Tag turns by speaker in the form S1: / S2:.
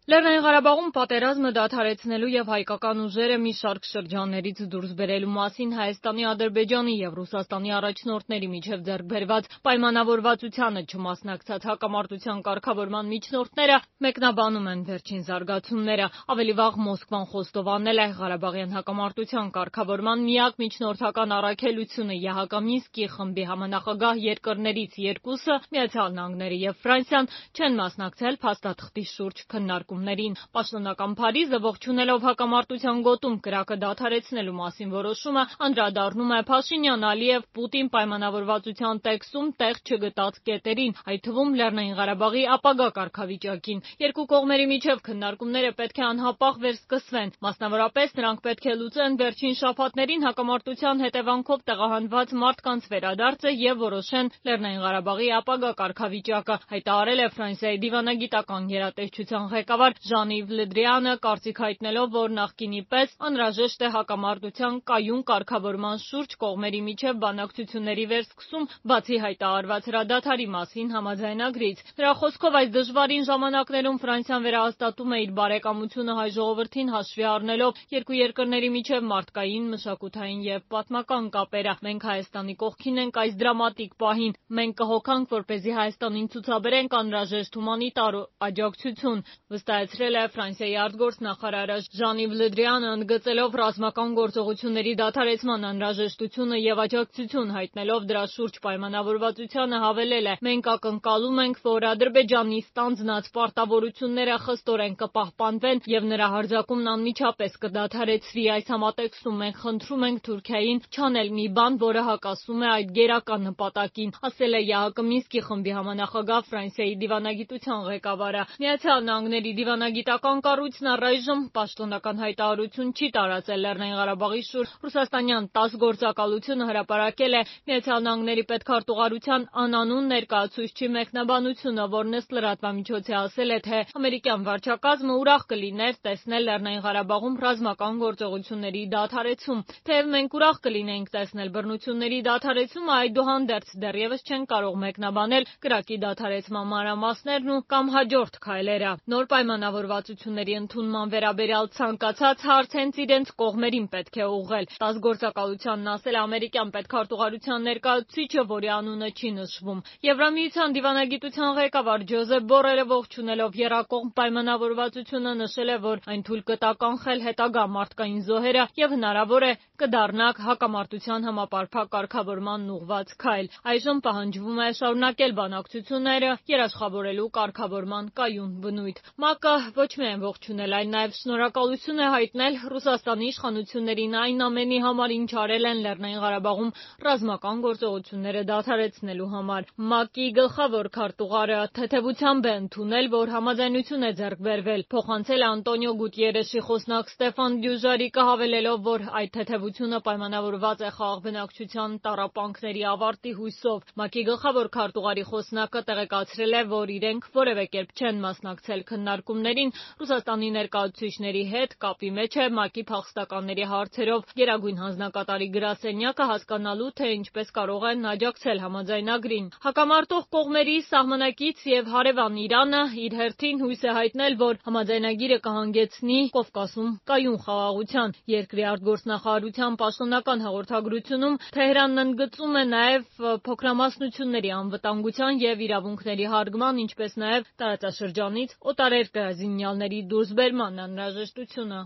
S1: Լեռնային Ղարաբաղում պատերազմը դադարեցնելու եւ հայկական ուժերը մի շարք շրջաններից դուրս բերելու մասին Հայաստանի, Ադրբեջանի եւ Ռուսաստանի առաջնորդների միջև ձեռք բերված պայմանավորվածությանը չմասնակցած հակամարտության կարգավորման միջնորդները մեկնաբանում են վերջին զարգացումները։ Ավելի վաղ Մոսկվան խոստովանել է Ղարաբաղյան հակամարտության կարգավորման միակ միջնորդական առաքելությունը ԵԱՀԿ Մինսկի խմբի համանախագահ երկրներից երկուսը՝ Միացյալ Նահանգները եւ Ֆրանսիան, չեն մասնակցել փաստաթղթի շուրջ քննարկումներին։ Պաշտոնական Փարիզը ողջունելով հակամարտության գոտում կրակը դադարեցնելու մասին որոշումը, անդրադառնում է Փաշինյան-Ալիև-Պուտին պայմանավորվածության տեքստում տեղ չգտած կետերին, այդ թվում Լեռնային Ղարաբաղի ապագա կարգավիճակին։ Երկու կողմերի միջև քննարկումները պետք է անհապաղ վերսկսվեն։ Մասնավորապես, նրանք պետք է լուծեն վերջին շաբաթներին հակամարտության հետևանքով տեղահանված մարդկանց վերադարձը եւ որոշեն Լեռնային Ղարաբաղի ապագա կարգավիճակը, հայտարարել է Ֆրանսիայի դիվանագիտական գերատեսչության ղեկավար Ժան-Իվ Լը Դրիանը, կարծիք հայտնելով, որ նախկինի պես անհրաժեշտ է հակամարտության կայուն կարգավորման շուրջ կողմերի միջև բանակցությունների վերսկսում, բացի հայտարարված հրադադարի մասին համաձայնագրից։ Նրա խոսքով, այս դժվարին ժամանակներում Ֆրանսիան վերահաստատում է իր բարեկամությունը հայ ժողովրդին հաշվի առնելով երկու երկրների միջև մարդկային, մշակութային եւ պատմական կապերը։ Մենք Հայաստանի կողքին ենք այս դրամատիկ պահին։ Մենք կհոգանք, որպեսզի Հայաստանին ցուցաբերենք անհրաժեշտ հումանիտար աջակցություն, վստահեցրել է Ֆրանսիայի արտգործնախարարը։ Ժան-Իվ Լը Դրիանը, ընդգծելով ռազմական գործողությունների դադարեցման անհրաժեշտությունը եւ աջակցություն հայտնելով դրա շուրջ պայմանավորվածությանը, հավելել է. «Մենք ակնկալում ենք, որ Ադրբեջանի ստանձնած պարտավորությունները խստորեն կպահպանվեն եւ նրա հարձակումն անմիջապես կդադարեցվի։ Այս համատեքստում մենք խնդրում ենք Թուրքիային չանել մի բան, որը հակասում է այդ գերական նպատակին», ասել է ԵԱՀԿ Մինսկի խմբի համանախագահ Ֆրանսիայի դիվանագիտության ղեկավարը։ Միացյալ Նահանգների դիվանագիտական կառույցն առայժմ պաշտոնական հայտարարություն չի տարածել Լեռնային Ղարաբաղի շուրջ։ Ռուսաստանյան ՏԱՍՍ գործակալությունը հրապարակել է Միացյալ Նահանգների պետքարտուղարության անանուն ներկայացուցչի մեկնաբանությունը, որն ըստ լրատվամիջոցի ասել է, թե ամերիկյան վարչակազմը ուրախ կլիներ տեսնել Լեռնային Ղարաբաղում ռազմական գործողությունների դադարեցում։ Թեև մենք ուրախ կլինեինք տեսնել բռնությունների դադարեցումը, այդուհանդերձ դեռևս չենք կարող մեկնաբանել կրակի դադարեցման մանրամասներն ու կամ հաջորդ քայլերը։ Նոր պայմանավորվածությունների ընդունման վերաբերյալ ցանկացած հարց հենց իրենց կողմերին պետք է ուղղել։ ՏԱՍՍ գործակալությանն ասել է ամերիկյան պետքարտուղարության ներկայացուցիչը, որի անունը չի նշվում։ Եվրամիության դիվանագիտության ղեկավար Ջոզեփ Բորելը ողջունելով եռակողմ պայմանավորվածությունը նշել է, որ այն թույլ կտա կանխել հետագա մարդկային զոհերը եւ հնարավոր է կդառնա հակամարտության համապարփակ կարգավորմանն ուղղված քայլ։ Այժմ պահանջվում է շարունակել բանակցությունները երաշխավորելու կարգավորման կայուն բնույթ։ ՄԱԿ-ը ոչ միայն ողջունել, այլ նաև շնորհակալություն է հայտնել Ռուսաստանի իշխանություններին այն ամենի համար, ինչ արել են Լեռնային Ղարաբաղում ռազմական գործողությունները դադարեցնելու համար։ ՄԱԿ-ի գլխավոր քարտուղարը թեթևությամբ է ընդունել, որ համաձայնություն է ձեռք բերվել։ Փոխանցել է Անտոնիո Գուտիերեշի խոսնակ Ստեֆան Դյուժարիկը, հավելելով, որ այդ թեթևությունը պայմանավորված է խաղաղ բնակչության տառապանքների ավարտի հույսով։ ՄԱԿ-ի գլխավոր քարտուղարի խոսնակը տեղեկացրել է, որ իրենք որևէ կերպ չեն մասնակցել քննարկումներին Ռուսաստանի ներկայացուցիչների հետ, կապի մեջ է ՄԱԿ-ի փախստականների հարցերով գերագույն հանձնակատարի գրասենյակը, հասկանալու, թե ինչպես կարող են աջակցել համաձայնագրին։ Հակամարտող կողմերի սահմանակից եւ հարևան Իրանը իր հերթին հույս է հայտնել, որ համաձայնագիրը կհանգեցնի Կովկասում կայուն խաղաղության։ Երկրի արտգործնախարարության պաշտոնական հաղորդագրությունում Թեհրանն ընդգծում է նաեւ փոքրամասնությունների անվտանգության եւ իրավունքների հարգման, ինչպես նաեւ տարածաշրջանից օտարերկրազինյալների դուրսբերման անհրաժեշտությունը։